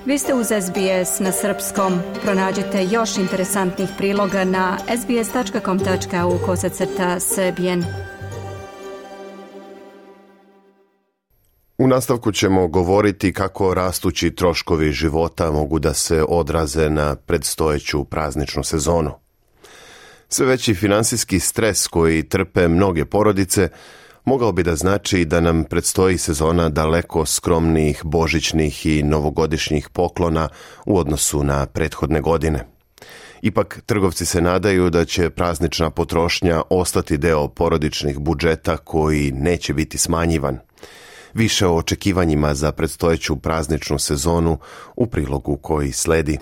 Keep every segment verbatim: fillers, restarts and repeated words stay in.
Vi ste uz S B S na srpskom. Pronađite još interesantnih priloga na sbs.com.au kosacrta srbijen. U nastavku ćemo govoriti kako rastući troškovi života mogu da se odraze na predstojeću prazničnu sezonu. Sve veći finansijski stres koji trpe mnoge porodice mogao bi da znači da nam predstoji sezona daleko skromnijih božićnih i novogodišnjih poklona u odnosu na prethodne godine. Ipak, trgovci se nadaju da će praznična potrošnja ostati deo porodičnih budžeta koji neće biti smanjivan. Više o očekivanjima za predstojeću prazničnu sezonu u prilogu koji sledi.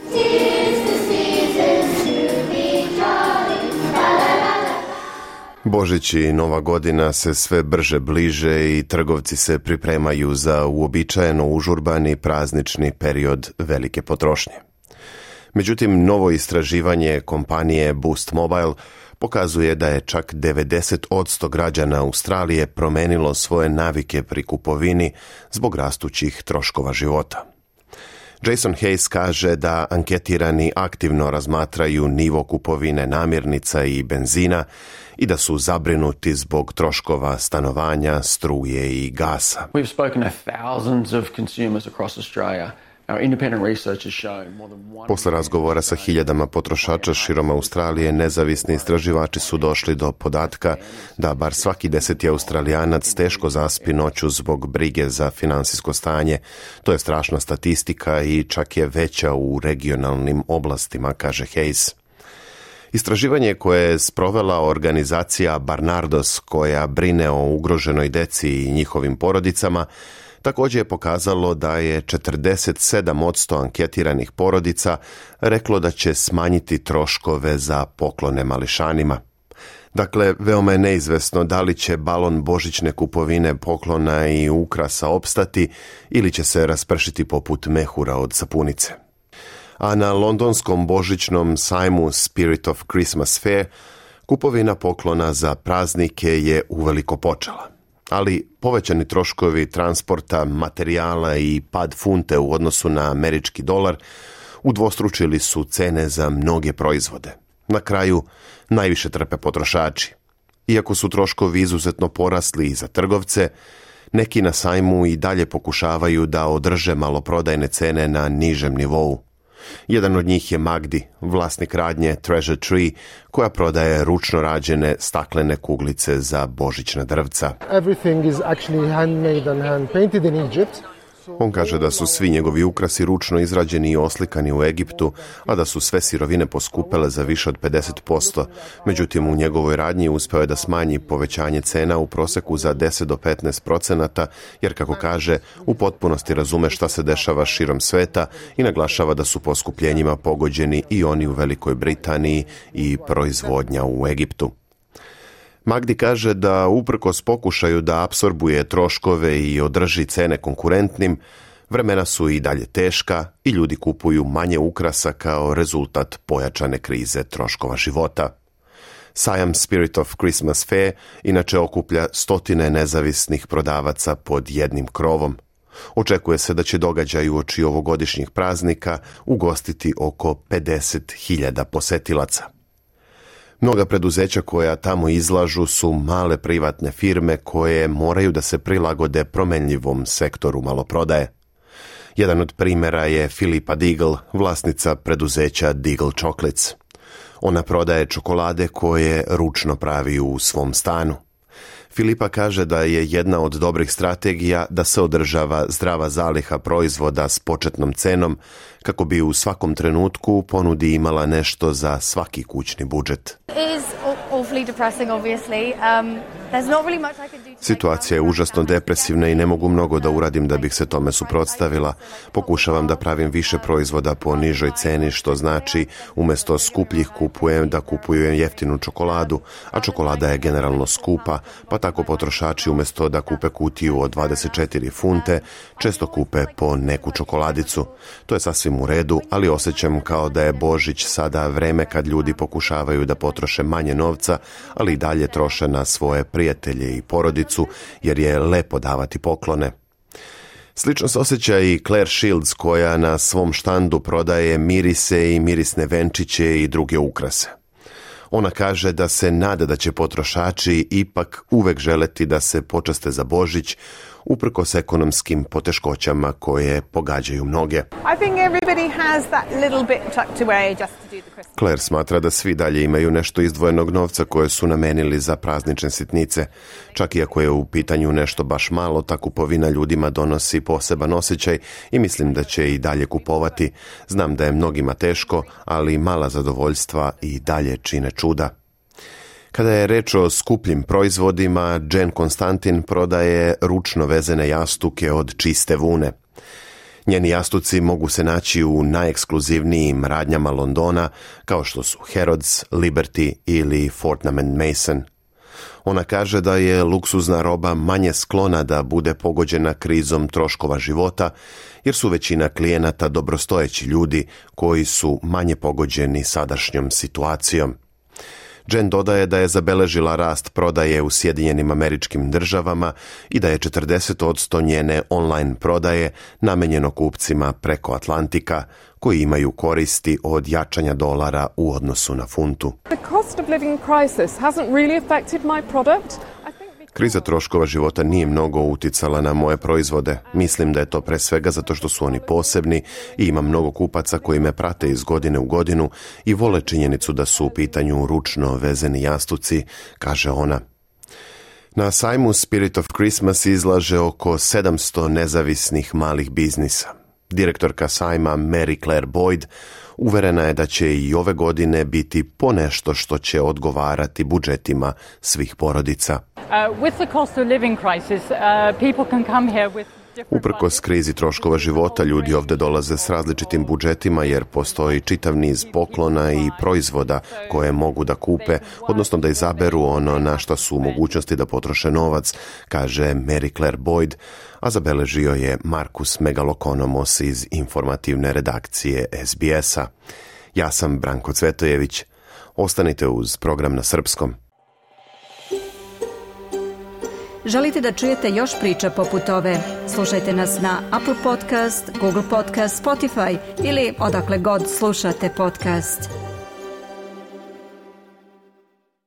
Božić i Nova godina se sve brže bliže i trgovci se pripremaju za uobičajeno užurbani praznični period velike potrošnje. Međutim, novo istraživanje kompanije Boost Mobile pokazuje da je čak devedeset posto građana Australije promenilo svoje navike pri kupovini zbog rastućih troškova života. Jason Hayes kaže da anketirani aktivno razmatraju nivo kupovine namirnica i benzina i da su zabrinuti zbog troškova stanovanja, struje i gasa. We've spoken to thousands of consumers across Australia. Posle razgovora sa hiljadama potrošača širom Australije, nezavisni istraživači su došli do podatka da bar svaki deseti Australijanac teško zaspi noću zbog brige za finansijsko stanje. To je strašna statistika i čak je veća u regionalnim oblastima, kaže Hayes. Istraživanje koje je sprovela organizacija Barnardos, koja brine o ugroženoj deci i njihovim porodicama, također je pokazalo da je četrdeset sedam posto anketiranih porodica reklo da će smanjiti troškove za poklone mališanima. Dakle, veoma je neizvesno da li će balon božićne kupovine poklona i ukrasa opstati ili će se raspršiti poput mehura od sapunice. A na londonskom božićnom sajmu Spirit of Christmas Fair kupovina poklona za praznike je uveliko počela. Ali povećani troškovi transporta, materijala i pad funte u odnosu na američki dolar udvostručili su cene za mnoge proizvode. Na kraju najviše trpe potrošači. Iako su troškovi izuzetno porasli i za trgovce, neki na sajmu i dalje pokušavaju da održe maloprodajne cene na nižem nivou. Jedan od njih je Magdi, vlasnik radnje Treasure Tree, koja prodaje ručno rađene staklene kuglice za božićna drvca. Everything is actually handmade and hand painted in Egypt. On kaže da su svi njegovi ukrasi ručno izrađeni i oslikani u Egiptu, a da su sve sirovine poskupele za više od pedeset posto. Međutim, u njegovoj radnji uspeo je da smanji povećanje cena u proseku za deset do petnaest procenata, jer, kako kaže, u potpunosti razume šta se dešava širom sveta i naglašava da su poskupljenjima pogođeni i oni u Velikoj Britaniji i proizvodnja u Egiptu. Magdi kaže da uprkos pokušaju da apsorbuje troškove i održi cene konkurentnim, vremena su i dalje teška i ljudi kupuju manje ukrasa kao rezultat pojačane krize troškova života. Sajam Spirit of Christmas Fair inače okuplja stotine nezavisnih prodavaca pod jednim krovom. Očekuje se da će događaj uoči ovogodišnjih praznika ugostiti oko pedeset hiljada posetilaca. Mnoga preduzeća koja tamo izlažu su male privatne firme koje moraju da se prilagode promenljivom sektoru maloprodaje. Jedan od primjera je Filipa Diggle, vlasnica preduzeća Diggle Chocolates. Ona prodaje čokolade koje ručno pravi u svom stanu. Filipa kaže da je jedna od dobrih strategija da se održava zdrava zaliha proizvoda s početnom cenom kako bi u svakom trenutku u ponudi imala nešto za svaki kućni budžet. Situacija je užasno depresivna i ne mogu mnogo da uradim da bih se tome suprotstavila. Pokušavam da pravim više proizvoda po nižoj ceni, što znači umjesto skupljih kupujem da kupujem jeftinu čokoladu, a čokolada je generalno skupa, pa tako potrošači umjesto da kupe kutiju od dvadeset četiri funte, često kupe po neku čokoladicu. To je sasvim u redu, ali osjećam kao da je Božić sada vreme kad ljudi pokušavaju da potroše manje novca, ali i dalje troše na svoje prijatelje i porodicu, jer je lepo davati poklone. Slično se osjeća i Claire Shields koja na svom štandu prodaje mirise i mirisne venčiće i druge ukrase. Ona kaže da se nada da će potrošači ipak uvek želeti da se počaste za Božić, uprkos ekonomskim poteškoćama koje pogađaju mnoge. Claire smatra da svi dalje imaju nešto izdvojenog novca koje su namenili za praznične sitnice. Čak i ako je u pitanju nešto baš malo, ta kupovina ljudima donosi poseban osjećaj i mislim da će i dalje kupovati. Znam da je mnogima teško, ali mala zadovoljstva i dalje čine čuda. Kada je reč o skupljim proizvodima, Jen Konstantin prodaje ručno vezene jastuke od čiste vune. Njeni jastuci mogu se naći u najekskluzivnijim radnjama Londona, kao što su Harrods, Liberty ili Fortnum and Mason. Ona kaže da je luksuzna roba manje sklona da bude pogođena krizom troškova života, jer su većina klijenata dobrostojeći ljudi koji su manje pogođeni sadašnjom situacijom. Jen dodaje da je zabeležila rast prodaje u Sjedinjenim Američkim Državama i da je četrdeset posto njene online prodaje namenjeno kupcima preko Atlantika, koji imaju koristi od jačanja dolara u odnosu na funtu. Kriza troškova života nije mnogo uticala na moje proizvode. Mislim da je to pre svega zato što su oni posebni i ima mnogo kupaca koji me prate iz godine u godinu i vole činjenicu da su u pitanju ručno vezeni jastuci, kaže ona. Na sajmu Spirit of Christmas izlaže oko sedamsto nezavisnih malih biznisa. Direktorka sajma Mary Claire Boyd uverena je da će i ove godine biti ponešto što će odgovarati budžetima svih porodica. Uprkos krizi troškova života, ljudi ovdje dolaze s različitim budžetima jer postoji čitav niz poklona i proizvoda koje mogu da kupe, odnosno da izaberu ono na što su u mogućnosti da potroše novac, kaže Mary Claire Boyd, a zabeležio je Markus Megalokonomos iz informativne redakcije S B S-a. Ja sam Branko Cvetojević. Ostanite uz program na srpskom. Želite da čujete još priča poput ove? Slušajte nas na Apple Podcast, Google Podcast, Spotify ili odakle god slušate podcast.